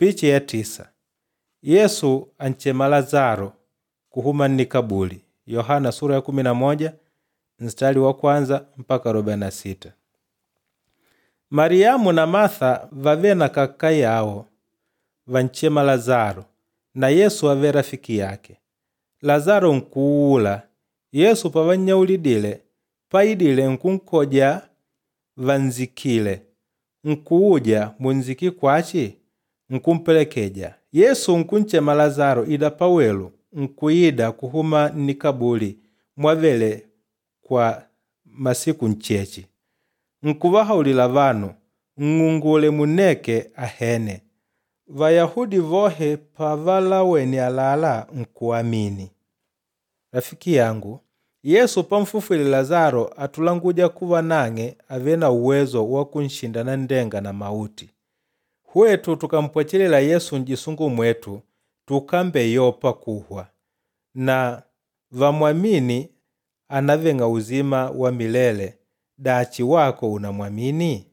Picha ya 9. Yesu anchema Lazaro kuhuma nnikabuli. Yohana sura ya 11 mstari wa kwanza mpaka 46. Mariamu na Martha vave na kaka yawo vanchema Lazaro na Yesu ave rafiki yake. Lazaro nkuula. Yesu pavannyaulidile paidile nkunkoja vanzikile, nkuuja munziki kwachi nkumpelekeja. Yesu nkunchema Lazaro ida pawelu nkuida kuhuma nnikabuli mwavele kwa masiku nchechi. Nkuvahaulila vanu, nng'ungule munneke ahene. Vayahudi vohe pavalawene alala nkuamini. Rafiki yangu, Yesu pamfufwile Lazaro atulanguja kuva nang'e ave na uwezo wa kunshinda nanndenga na mauti. Hwetu tukampwechelela Yesu njisungu mwetu tukambeyopa kuhwa na vamwamini anaveng'a uzima wa milele dachi wako unamwamini?